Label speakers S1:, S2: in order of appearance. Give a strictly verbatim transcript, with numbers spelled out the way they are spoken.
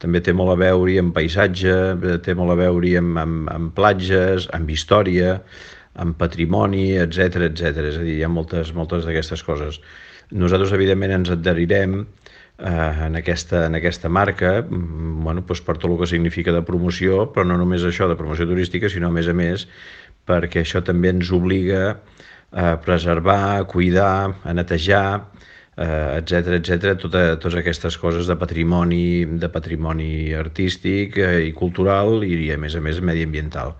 S1: també té molt a veure amb paisatge, té molt a veure amb, amb, amb platges, amb història, amb patrimoni, etcètera, etcètera. És a dir, hi ha moltes, moltes d'aquestes coses. Nosaltres, evidentment, ens adherirem eh, en, aquesta, en aquesta marca, bueno, doncs per tot el que significa de promoció, però no només això de promoció turística, sinó a més a més perquè això també ens obliga a preservar, a cuidar, a netejar, etcètera, etcètera, tota, totes aquestes coses de patrimoni, de patrimoni artístic eh, i cultural i, a més a més, mediambiental.